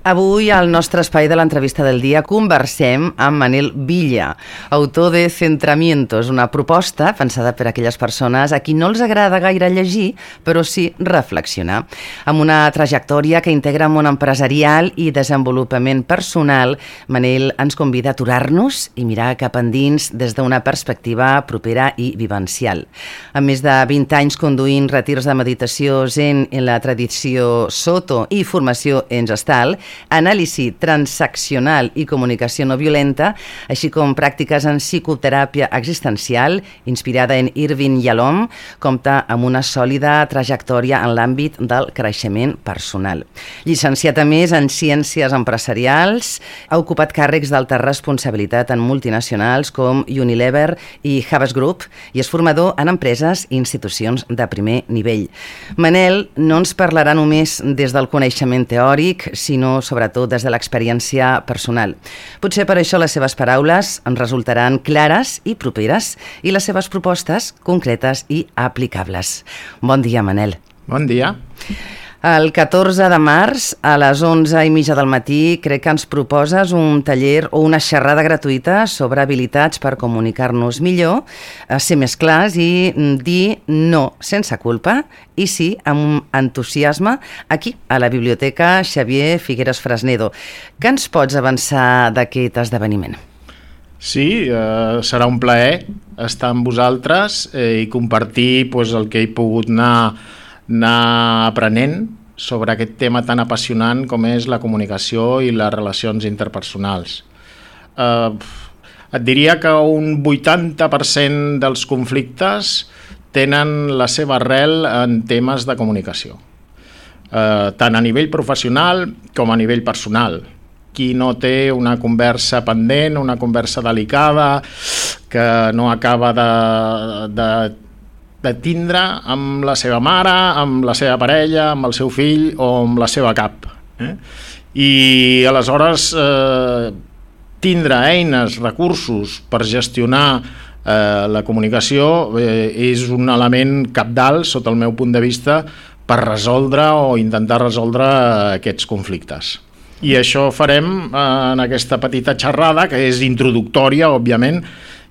Avui, al nostre espai de l'entrevista del dia, conversem amb Manel Villa, autor de Centramientos, una proposta pensada per a aquelles persones a qui no els agrada gaire llegir, però sí reflexionar. Amb una trajectòria que integra món empresarial i desenvolupament personal, Manel ens convida a aturar-nos i mirar cap endins des d'una perspectiva propera i vivencial. Amb més de 20 anys conduint retirs de meditació zen en la tradició Soto i formació en Gestal, anàlisi transaccional i comunicació no violenta, així com pràctiques en psicoteràpia existencial, inspirada en Irvin Yalom, compta amb una sòlida trajectòria en l'àmbit del creixement personal. Llicenciat a més en Ciències Empresarials, ha ocupat càrrecs d'alta responsabilitat en multinacionals com Unilever i Havas Group i és formador en empreses i institucions de primer nivell. Manel no ens parlarà només des del coneixement teòric, sinó sobretot des de l'experiència personal. Potser per això les seves paraules ens resultaran clares i properes i les seves propostes concretes i aplicables. Bon dia, Manel. Bon dia. El 14 de març, a les 11:30 del matí, crec que ens proposes un taller o una xerrada gratuïta sobre habilitats per comunicar-nos millor, ser més clars i dir no sense culpa i sí amb entusiasme aquí, a la Biblioteca Xavier Figueres Fresnedo. Què ens pots avançar d'aquest esdeveniment? Sí, serà un plaer estar amb vosaltres i compartir el que he pogut anar aprenent sobre aquest tema tan apassionant com és la comunicació i les relacions interpersonals. Et diria que un 80% dels conflictes tenen la seva arrel en temes de comunicació, tant a nivell professional com a nivell personal. Qui no té una conversa pendent, una conversa delicada, que no acaba de tindre amb la seva mare, amb la seva parella, amb el seu fill o amb la seva cap. I aleshores tindre eines, recursos per gestionar la comunicació és un element cabdal, sota el meu punt de vista, per resoldre o intentar resoldre aquests conflictes. I això farem en aquesta petita xerrada, que és introductòria, òbviament.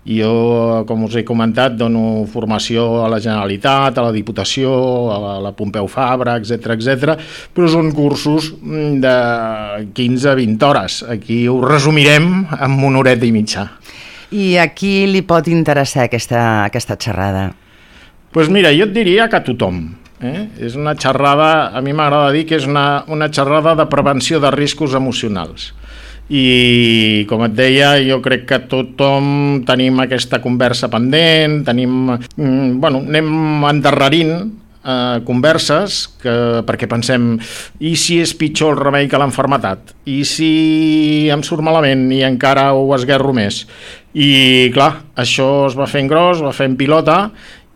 Jo, com us he comentat, dono formació a la Generalitat, a la Diputació, a la Pompeu Fabra, etc. Però són cursos de 15-20 hores. Aquí ho resumirem en una horeta i mitja. I a qui li pot interessar aquesta xerrada? Doncs mira, jo et diria que a tothom. És una xerrada, a mi m'agrada dir que és una xerrada de prevenció de riscos emocionals. I com et deia, jo crec que tothom tenim aquesta conversa pendent, anem endarrerint converses perquè pensem, i si és pitjor el remei que l'enfermetat? I si em surt malament i encara ho esguerro més? I clar, això es va fent gros, va fent pilota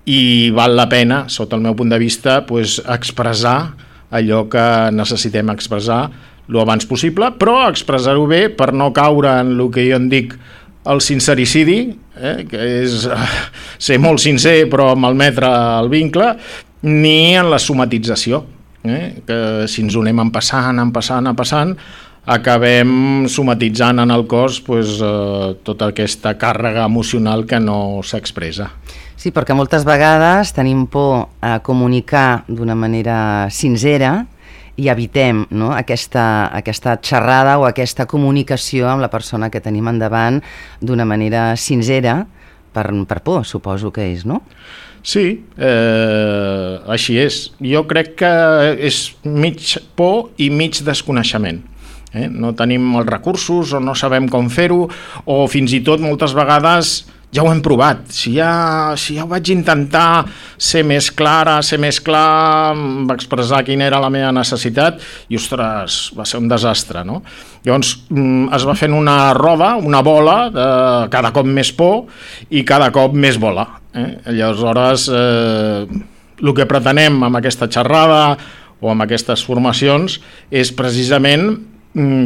i val la pena, sota el meu punt de vista, expressar allò que necessitem expressar lo abans possible, però expressar-ho bé per no caure en el que jo en dic el sincericidi, que és ser molt sincer però malmetre el vincle, ni en la somatització, que si ens ho anem empassant, acabem somatitzant en el cos tota aquesta càrrega emocional que no s'expressa. Sí, perquè moltes vegades tenim por a comunicar d'una manera sincera i evitem aquesta xerrada o aquesta comunicació amb la persona que tenim endavant d'una manera sincera per por, suposo que és, no? Sí, així és. Jo crec que és mig por i mig desconeixement. No tenim els recursos o no sabem com fer-ho, o fins i tot moltes vegades ja ho hem provat. Si ja ho vaig intentar ser més clar, va expressar quina era la meva necessitat i, ostres, va ser un desastre, no? Llavors es va fent una roda, una bola, de cada cop més por i cada cop més bola. Llavors, el que pretenem amb aquesta xerrada o amb aquestes formacions és precisament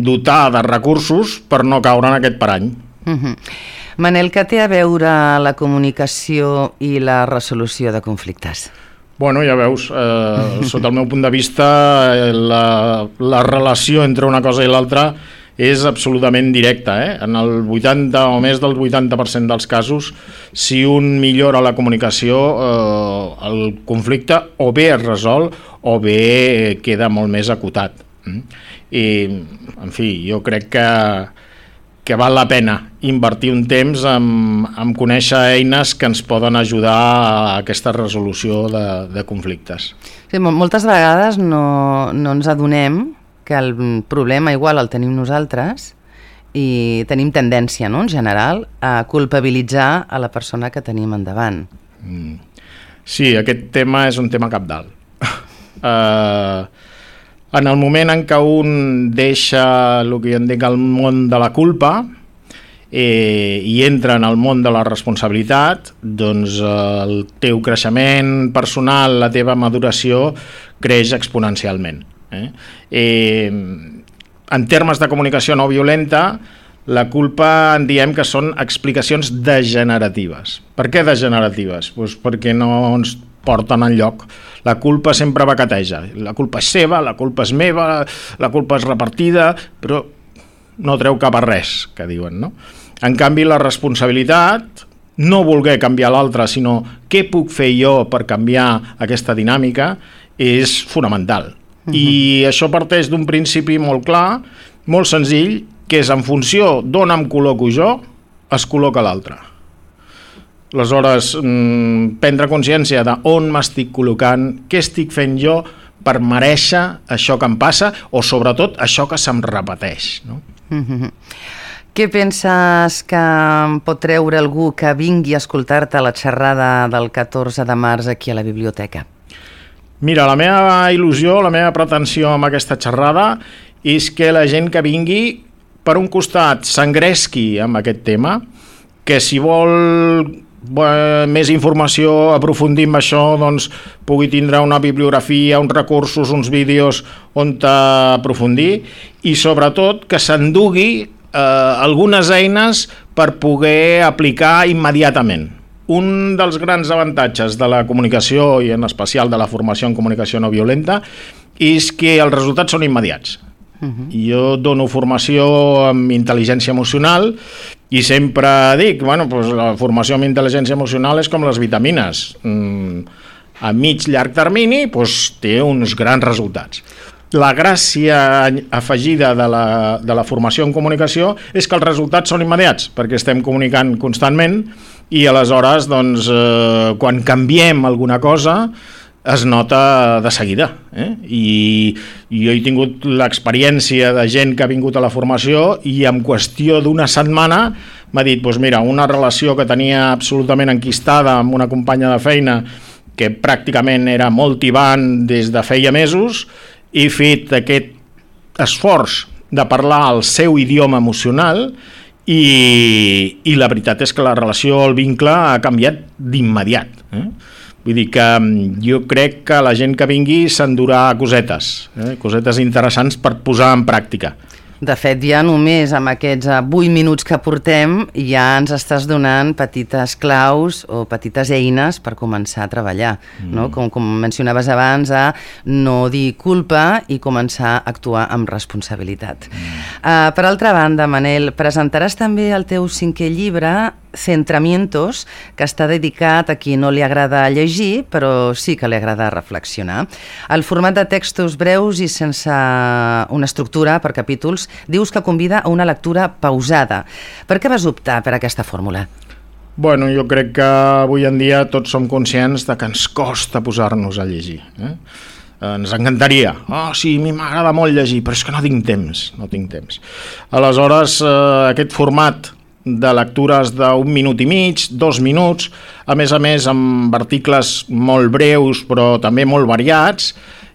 dotar de recursos per no caure en aquest parany. Manel, què té a veure la comunicació i la resolució de conflictes? Bueno, ja veus, sota el meu punt de vista, la relació entre una cosa i l'altra és absolutament directa. En el 80 o més del 80% dels casos, si un millora la comunicació, el conflicte o bé es resol o bé queda molt més acotat. I, en fi, jo crec que val la pena invertir un temps en conèixer eines que ens poden ajudar a aquesta resolució de conflictes. Sí, moltes vegades no ens adonem que el problema igual el tenim nosaltres i tenim tendència, no, en general, a culpabilitzar a la persona que tenim endavant. Sí, aquest tema és un tema cabdal. En el moment en què un deixa el que jo en dic el món de la culpa i entra en el món de la responsabilitat, doncs el teu creixement personal, la teva maduració creix exponencialment. En termes de comunicació no violenta, la culpa en diem que són explicacions degeneratives. Per què degeneratives? Doncs perquè no ens porten enlloc. La culpa sempre vaqueteja. La culpa és seva, la culpa és meva, la culpa és repartida, però no treu cap a res, que diuen, no? En canvi, la responsabilitat, no voler canviar l'altre, sinó què puc fer jo per canviar aquesta dinàmica, és fonamental. I això parteix d'un principi molt clar, molt senzill, que és en funció d'on em col·loco jo, es col·loca l'altre. Aleshores, prendre consciència d'on m'estic col·locant, què estic fent jo per merèixer això que em passa o sobretot això que se'm repeteix, no? Què penses que pot treure algú que vingui a escoltar-te a la xerrada del 14 de març aquí a la biblioteca? Mira, la meva il·lusió, la meva pretensió amb aquesta xerrada és que la gent que vingui, per un costat, s'engresqui amb aquest tema, que si vol més informació, aprofundir en això, doncs pugui tindre una bibliografia, uns recursos, uns vídeos on aprofundir i sobretot que s'endugui algunes eines per poder aplicar immediatament. Un dels grans avantatges de la comunicació i en especial de la formació en comunicació no violenta és que els resultats són immediats. Jo dono formació amb intel·ligència emocional i sempre dic, la formació amb intel·ligència emocional és com les vitamines. A mig-llarg termini té uns grans resultats. La gràcia afegida de la formació en comunicació és que els resultats són immediats, perquè estem comunicant constantment i aleshores, quan canviem alguna cosa, es nota de seguida. I jo he tingut l'experiència de gent que ha vingut a la formació i en qüestió d'una setmana m'ha dit, mira, una relació que tenia absolutament enquistada amb una companya de feina que pràcticament era molt tibant des de feia mesos, he fet aquest esforç de parlar el seu idioma emocional i la veritat és que la relació, el vincle ha canviat d'immediat. Vull dir que jo crec que la gent que vingui s'endurà cosetes interessants per posar en pràctica. De fet, ja només amb aquests 8 minuts que portem ja ens estàs donant petites claus o petites eines per començar a treballar, no? Com mencionaves abans, a no dir culpa i començar a actuar amb responsabilitat. Per altra banda, Manel, presentaràs també el teu 5è llibre, Centramientos, que està dedicat a qui no li agrada llegir, però sí que li agrada reflexionar. El format de textos breus i sense una estructura per capítols dius que convida a una lectura pausada. Per què vas optar per aquesta fórmula? Jo crec que avui en dia tots som conscients de que ens costa posar-nos a llegir. Ens encantaria. Sí, a mi m'agrada molt llegir, però és que no tinc temps. Aleshores, aquest format de lectures d'1 minut i mig, 2 minuts, a més amb articles molt breus però també molt variats,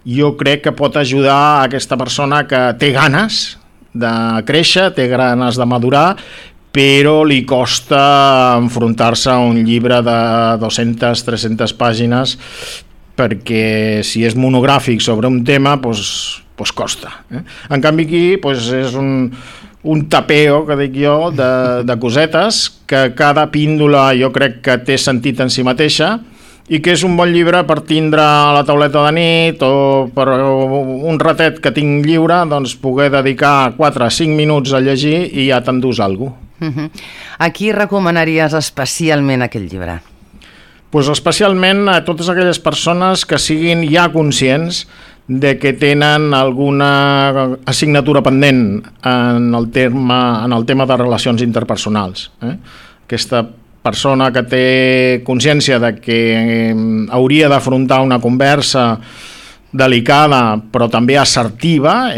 jo crec que pot ajudar a aquesta persona que té ganes de créixer, té ganes de madurar, però li costa enfrontar-se a un llibre de 200-300 pàgines perquè si és monogràfic sobre un tema, costa. En canvi aquí és un tapeo, que dic jo, de cosetes que cada píndola jo crec que té sentit en si mateixa i que és un bon llibre per tindre a la tauleta de nit o per un ratet que tinc lliure, doncs poder dedicar 4 o 5 minuts a llegir i ja t'endús alguna cosa. A qui recomanaries especialment aquest llibre? Pues especialment a totes aquelles persones que siguin ja conscients de que tenen alguna assignatura pendent en el tema de relacions interpersonals. Aquesta persona que té consciència de que hauria d'afrontar una conversa delicada però també assertiva,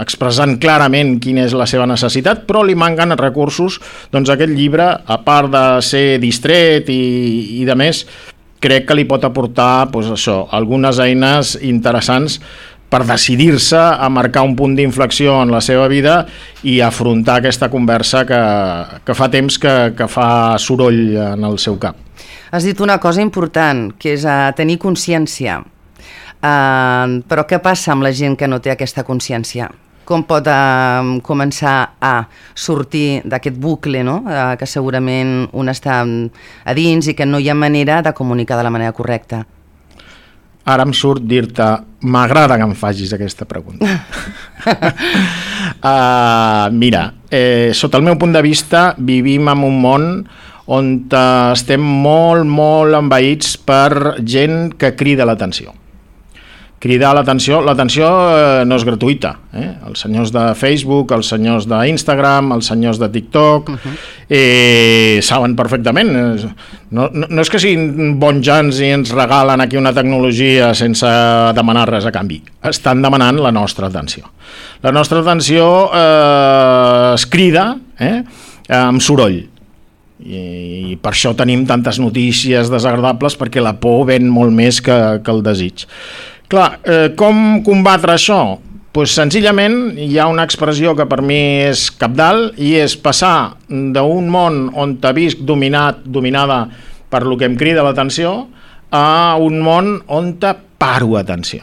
expressant clarament quina és la seva necessitat, però li manquen recursos, doncs aquest llibre, a part de ser distret i de més, crec que li pot aportar algunes eines interessants per decidir-se a marcar un punt d'inflexió en la seva vida i afrontar aquesta conversa que fa temps que fa soroll en el seu cap. Has dit una cosa important, que és tenir consciència. Però què passa amb la gent que no té aquesta consciència? Com pot començar a sortir d'aquest bucle, no? Que segurament un està a dins i que no hi ha manera de comunicar de la manera correcta? Ara em surt dir-te, m'agrada que em facis aquesta pregunta. Mira, sota el meu punt de vista, vivim en un món on estem molt envaïts per gent que crida l'atenció. Cridar l'atenció no és gratuïta. Els senyors de Facebook, els senyors d'Instagram, els senyors de TikTok, saben perfectament. No és que siguin bons gens i ens regalen aquí una tecnologia sense demanar res a canvi. Estan demanant la nostra atenció. La nostra atenció es crida amb soroll. I per això tenim tantes notícies desagradables, perquè la por ven molt més que el desig. Clar, com combatre això? Pues senzillament hi ha una expressió que per mi és cabdal i és passar d'un món on te visc dominada per lo que em crida l'atenció a un món on te paro atenció.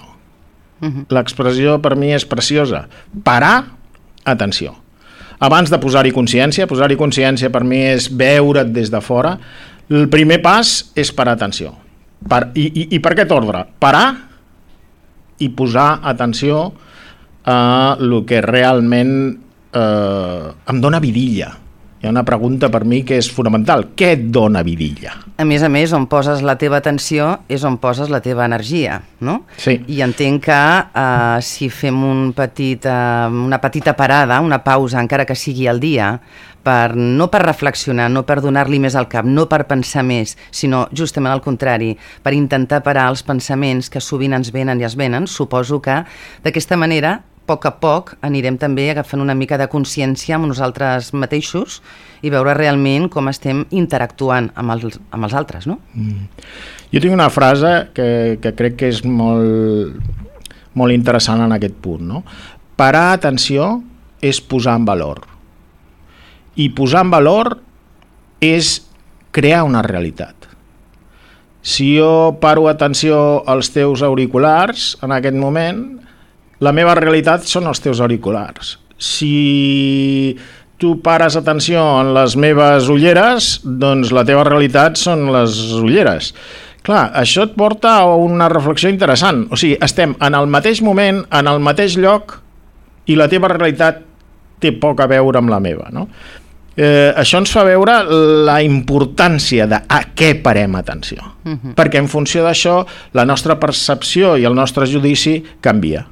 L'expressió per mi és preciosa. Parar atenció. Abans de posar-hi consciència per mi és veure't des de fora. El primer pas és parar atenció. I per aquest ordre? Parar i posar atenció a el que realment em dona vidilla. Hi ha una pregunta per mi que és fonamental. Què et dona vidilla? A més, on poses la teva atenció és on poses la teva energia, no? Sí. I entenc que si fem una petita parada, una pausa, encara que sigui al dia, no per reflexionar, no per donar-li més al cap, no per pensar més, sinó justament al contrari, per intentar parar els pensaments que sovint ens venen i es venen, suposo que d'aquesta manera, a poc anirem també agafant una mica de consciència amb nosaltres mateixos i veure realment com estem interactuant amb els altres, no? Jo tinc una frase que crec que és molt interessant en aquest punt, no? Parar atenció és posar en valor. I posar en valor és crear una realitat. Si jo paro atenció als teus auriculars en aquest moment, la meva realitat són els teus auriculars. Si tu pares atenció en les meves ulleres, doncs la teva realitat són les ulleres. Clar, això et porta a una reflexió interessant. O sigui, estem en el mateix moment, en el mateix lloc, i la teva realitat té poc a veure amb la meva, no? Això ens fa veure la importància de a què parem atenció, perquè en funció d'això la nostra percepció i el nostre judici canvia.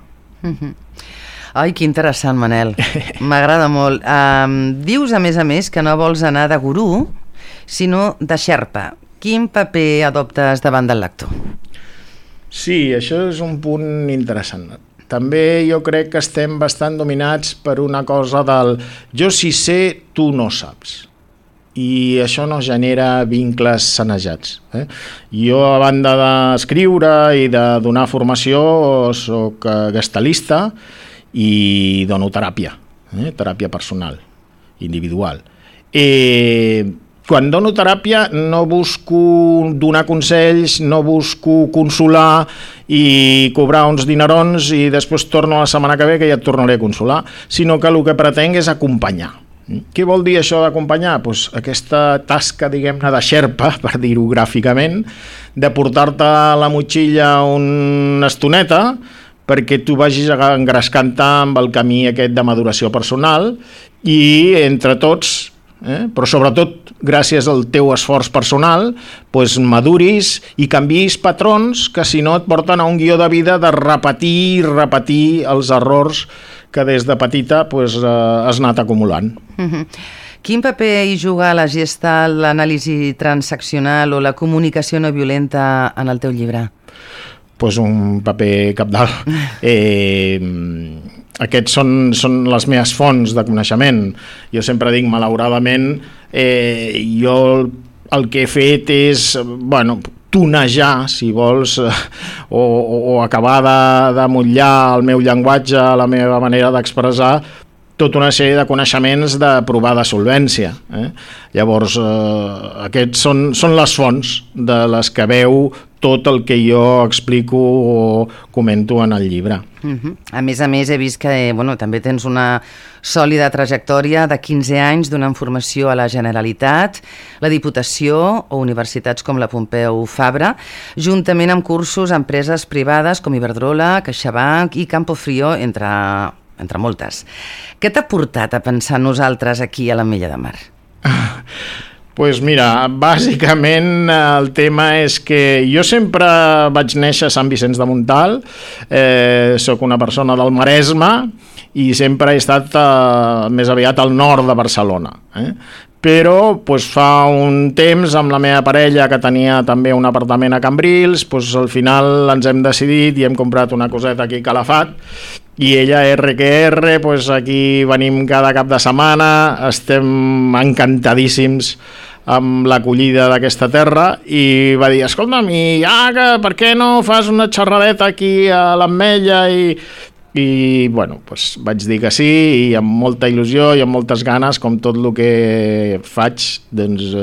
Ai, que interessant, Manel, m'agrada molt. Dius a més que no vols anar de gurú sinó de xerpa. Quin paper adoptes davant del lector? Sí, això és un punt interessant. També jo crec que estem bastant dominats per una cosa del jo sí sé, tu no saps. I això no genera vincles sanejats. Jo, a banda d'escriure i de donar formació, soc gestalista i dono teràpia, teràpia personal, individual. Quan dono teràpia no busco donar consells, no busco consolar i cobrar uns dinerons i després torno la setmana que ve que ja et tornaré a consolar, sinó que el que pretenc és acompanyar. Què vol dir això d'acompanyar? Pues aquesta tasca, diguem-ne, de xerpa, per dir-ho gràficament, de portar-te la motxilla una estoneta perquè tu vagis engrescant-te amb el camí aquest de maduració personal i entre tots, però sobretot gràcies al teu esforç personal, pues maduris i canviïs patrons que si no et porten a un guió de vida de repetir i repetir els errors que des de petita pues, has anat acumulant. Quin paper hi juga la Gestalt, l'anàlisi transaccional o la comunicació no violenta en el teu llibre? Pues un paper cabdal. Aquests són les meves fonts de coneixement. Jo sempre dic, malauradament, jo el que he fet és, tonejar, si vols, o acabar de motllar el meu llenguatge, la meva manera d'expressar, tota una sèrie de coneixements de provada solvència. Llavors, aquests són les fonts de les que veu tot el que jo explico o comento en el llibre. A més, he vist que també tens una sòlida trajectòria de 15 anys donant formació a la Generalitat, la Diputació o universitats com la Pompeu Fabra, juntament amb cursos a empreses privades com Iberdrola, CaixaBank i Campofrío, entre moltes. Què t'ha portat a pensar nosaltres aquí a l'Ametlla de Mar? Pues mira, bàsicament el tema és que jo sempre vaig néixer a Sant Vicenç de Montalt, soc una persona del Maresme i sempre he estat més aviat al nord de Barcelona. Però fa un temps amb la meva parella, que tenia també un apartament a Cambrils, al final ens hem decidit i hem comprat una coseta aquí a Calafat i ella RQR, aquí venim cada cap de setmana, estem encantadíssims amb l'acollida d'aquesta terra i va dir, escolta'm, per què no fas una xerradeta aquí a l'Ametlla i vaig dir que sí i amb molta il·lusió i amb moltes ganes, com tot el que faig, doncs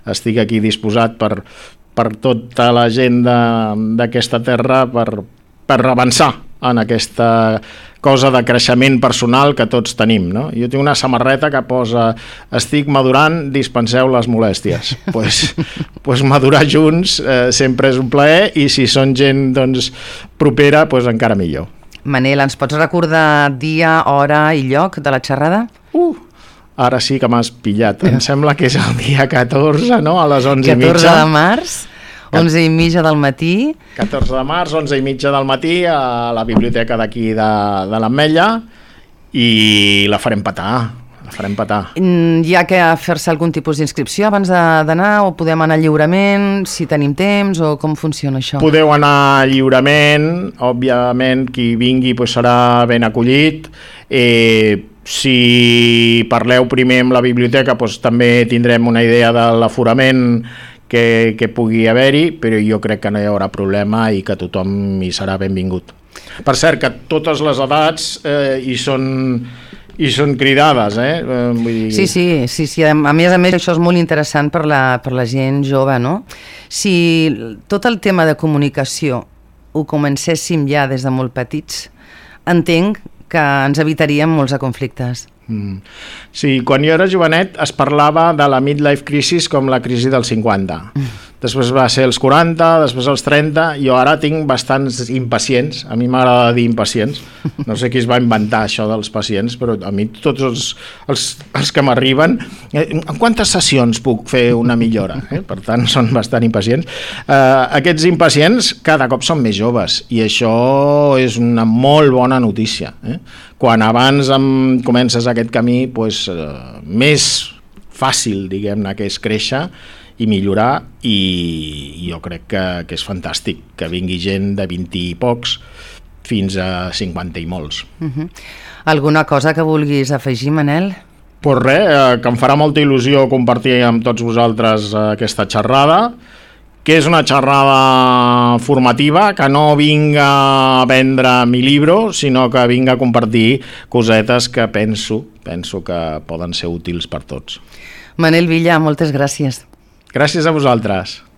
estic aquí disposat per tota la gent d'aquesta terra per avançar en aquesta cosa de creixement personal que tots tenim, no? Jo tinc una samarreta que posa estic madurant, dispenseu les molèsties. Pues madurar junts sempre és un plaer i si són gent propera, encara millor. Manel, ens pots recordar dia, hora i lloc de la xerrada? Ara sí que m'has pillat. Em sembla que és el dia 14, no? A les 11:30. 14 de març, 11:30 del matí. 14 de març, 11:30 del matí, a la biblioteca d'aquí de l'Ametlla i la farem petar. Hi ha que fer-se algun tipus d'inscripció abans d'anar o podem anar lliurement, si tenim temps, o com funciona això? Podeu anar lliurement, òbviament qui vingui serà ben acollit. Si parleu primer amb la biblioteca també tindrem una idea de l'aforament que pugui haver-hi, però jo crec que no hi haurà problema i que tothom hi serà benvingut. Per cert, que totes les edats hi són cridades, Vull dir... Sí. A més, això és molt interessant per la gent jove, no? Si tot el tema de comunicació ho comencéssim ja des de molt petits, entenc que ens evitaríem molts de conflictes. Sí, quan jo era jovenet es parlava de la midlife crisis com la crisi dels 50. Després va ser els 40, després els 30, jo ara tinc bastants impacients, a mi m'agrada dir impacients, no sé qui es va inventar això dels pacients, però a mi tots els que m'arriben, en quantes sessions puc fer una millora? Per tant, són bastant impacients. Aquests impacients cada cop són més joves i això és una molt bona notícia. Quan abans comences aquest camí, més fàcil, diguem-ne, que és créixer i millorar, i jo crec que és fantàstic que vingui gent de 20 i pocs fins a 50 i molts. Alguna cosa que vulguis afegir, Manel? Pues res, que em farà molta il·lusió compartir amb tots vosaltres aquesta xerrada, que és una xerrada formativa, que no vinga a vendre mi libro, sinó que vinga a compartir cosetes que penso que poden ser útils per tots. Manel Villa, moltes gràcies. Gràcies a vosaltres.